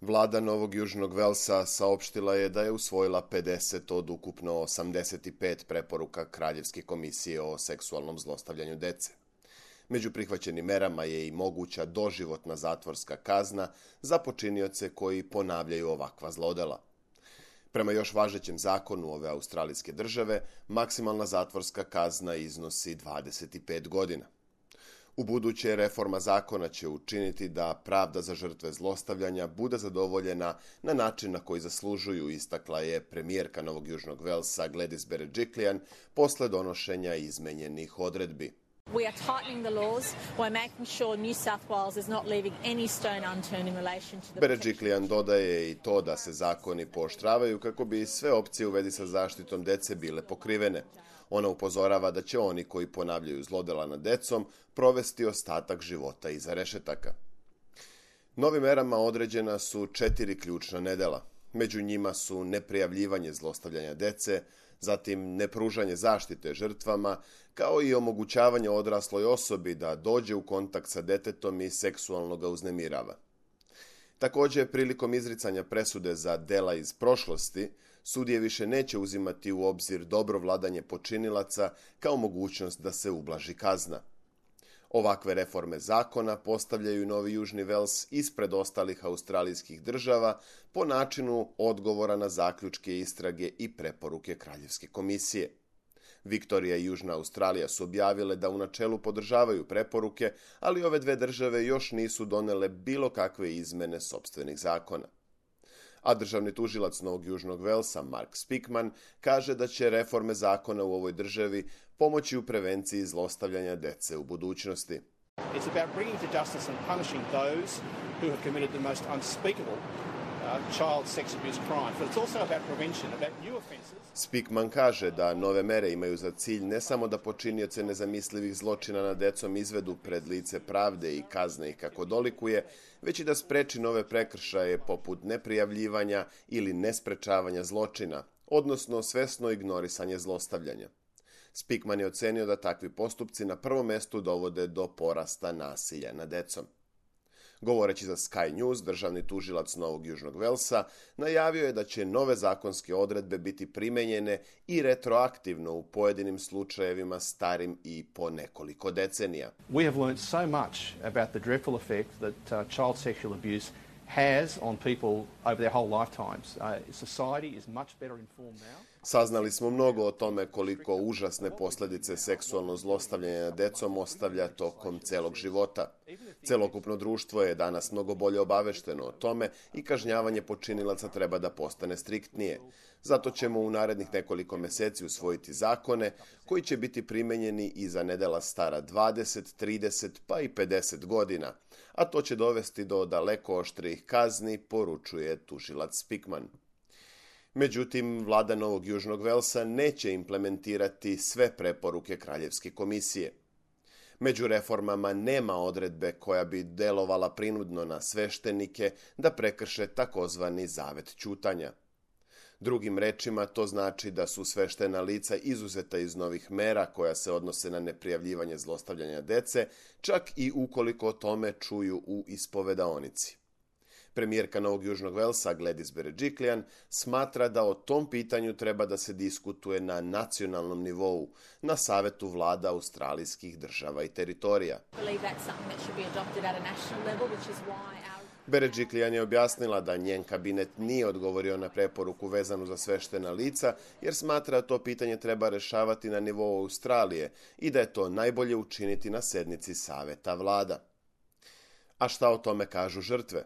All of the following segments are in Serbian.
Vlada Novog Južnog Velsa saopštila je da je usvojila 50 od ukupno 85 preporuka Kraljevske komisije o seksualnom zlostavljanju dece. Među prihvaćenim merama je i moguća doživotna zatvorska kazna za počinioce koji ponavljaju ovakva zlodela. Prema još važećem zakonu ove australijske države, maksimalna zatvorska kazna iznosi 25 godina. Ubuduće reforma zakona će učiniti da pravda za žrtve zlostavljanja bude zadovoljena na način na koji zaslužuju, istakla je premijerka Novog Južnog Velsa Gladys Berejiklian posle donošenja izmenjenih odredbi. We are tightening the laws by making sure New South Wales is not leaving any stone unturned in relation to the Berejiklian dodaje i to da se zakoni pooštravaju kako bi sve opcije u vezi sa zaštitom dece bile pokrivene. Ona upozorava da će oni koji ponavljaju zlodela nad decom provesti ostatak života iza rešetaka. Novim merama određena su 4 ključna nedela. Među njima su neprijavljivanje zlostavljanja dece, zatim nepružanje zaštite žrtvama, kao i omogućavanje odrasloj osobi da dođe u kontakt sa detetom i seksualno ga uznemirava. Također, prilikom izricanja presude za dela iz prošlosti, sudije više neće uzimati u obzir dobro vladanje počinilaca kao mogućnost da se ublaži kazna. Ovakve reforme zakona postavljaju Novi Južni Vels ispred ostalih australijskih država po načinu odgovora na zaključke istrage i preporuke Kraljevske komisije. Viktorija i Južna Australija su objavile da u načelu podržavaju preporuke, ali ove dve države još nisu donele bilo kakve izmene sopstvenih zakona. A državni tužilac Novog Južnog Velsa, Mark Speakman, kaže da će reforme zakona u ovoj državi pomoći u prevenciji zlostavljanja dece u budućnosti. It's about bringing to justice and punishing those who have committed the most unspeakable child sex abuse crimes, but it's also about prevention, about new offences. Speakman kaže da nove mere imaju za cilj ne samo da počinioce nezamislivih zločina nad decom izvedu pred lice pravde i kazne ih kako dolikuje, već i da spreči nove prekršaje poput neprijavljivanja ili nesprečavanja zločina, odnosno svesno ignorisanje zlostavljanja. Speakman je ocenio da takvi postupci na prvom mestu dovode do porasta nasilja nad decom. Govoreći za Sky News, državni tužilac Novog Južnog Velsa najavio je da će nove zakonske odredbe biti primenjene i retroaktivno u pojedinim slučajevima starim i po nekoliko decenija. We have learned so much about the dreadful effect that child sexual abuse has on people over their whole lifetimes. Society is much better informed now. Saznali smo mnogo o tome koliko užasne posljedice seksualno zlostavljanja decom ostavlja tokom celog života. Celokupno društvo je danas mnogo bolje obavešteno o tome i kažnjavanje počinilaca treba da postane striktnije. Zato ćemo u narednih nekoliko meseci usvojiti zakone koji će biti primenjeni i za nedela stara 20, 30 pa i 50 godina, a to će dovesti do daleko oštrijih kazni, poručuje tužilac Speakman. Međutim, vlada Novog Južnog Velsa neće implementirati sve preporuke Kraljevske komisije. Među reformama nema odredbe koja bi delovala prinudno na sveštenike da prekrše takozvani zavet ćutanja. Drugim rečima, to znači da su sveštena lica izuzeta iz novih mera koja se odnose na neprijavljivanje zlostavljanja dece, čak i ukoliko o tome čuju u ispovedaonici. Premijerka Novog Južnog Velsa Gladys Berejiklian smatra da o tom pitanju treba da se diskutuje na nacionalnom nivou, na savetu vlada australijskih država i teritorija. Berejiklian je objasnila da njen kabinet nije odgovorio na preporuku vezanu za sveštena lica, jer smatra da to pitanje treba rešavati na nivou Australije i da je to najbolje učiniti na sednici saveta vlada. A šta o tome kažu žrtve?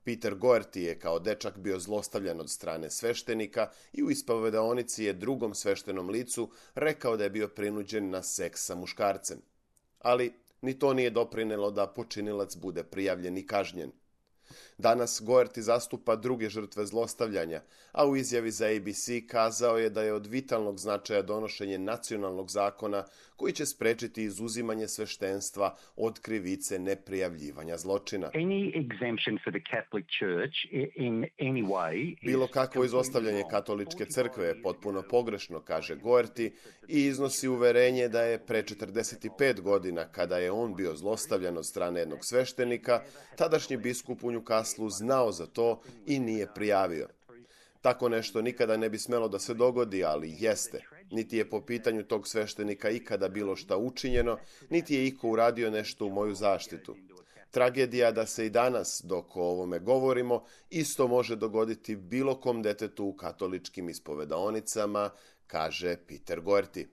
Peter Goerty je kao dečak bio zlostavljan od strane sveštenika i u ispovedaonici je drugom sveštenom licu rekao da je bio prinuđen na seks sa muškarcem. Ali ni to nije doprinelo da počinilac bude prijavljen i kažnjen. Danas Goerty zastupa druge žrtve zlostavljanja, a u izjavi za ABC kazao je da je od vitalnog značaja donošenje nacionalnog zakona koji će sprečiti izuzimanje sveštenstva od krivice neprijavljivanja zločina. Bilo kakvo izostavljanje katoličke crkve je potpuno pogrešno, kaže Goerty, i iznosi uverenje da je pre 45 godina, kada je on bio zlostavljan od strane jednog sveštenika, tadašnji biskup u Newcastleu znao za to i nije prijavio. Tako nešto nikada ne bi smelo da se dogodi, ali jeste. Niti je po pitanju tog sveštenika ikada bilo šta učinjeno, niti je iko uradio nešto u moju zaštitu. Tragedija da se i danas, dok o ovome govorimo, isto može dogoditi bilo kom detetu u katoličkim ispovedaonicama, kaže Peter Goerti.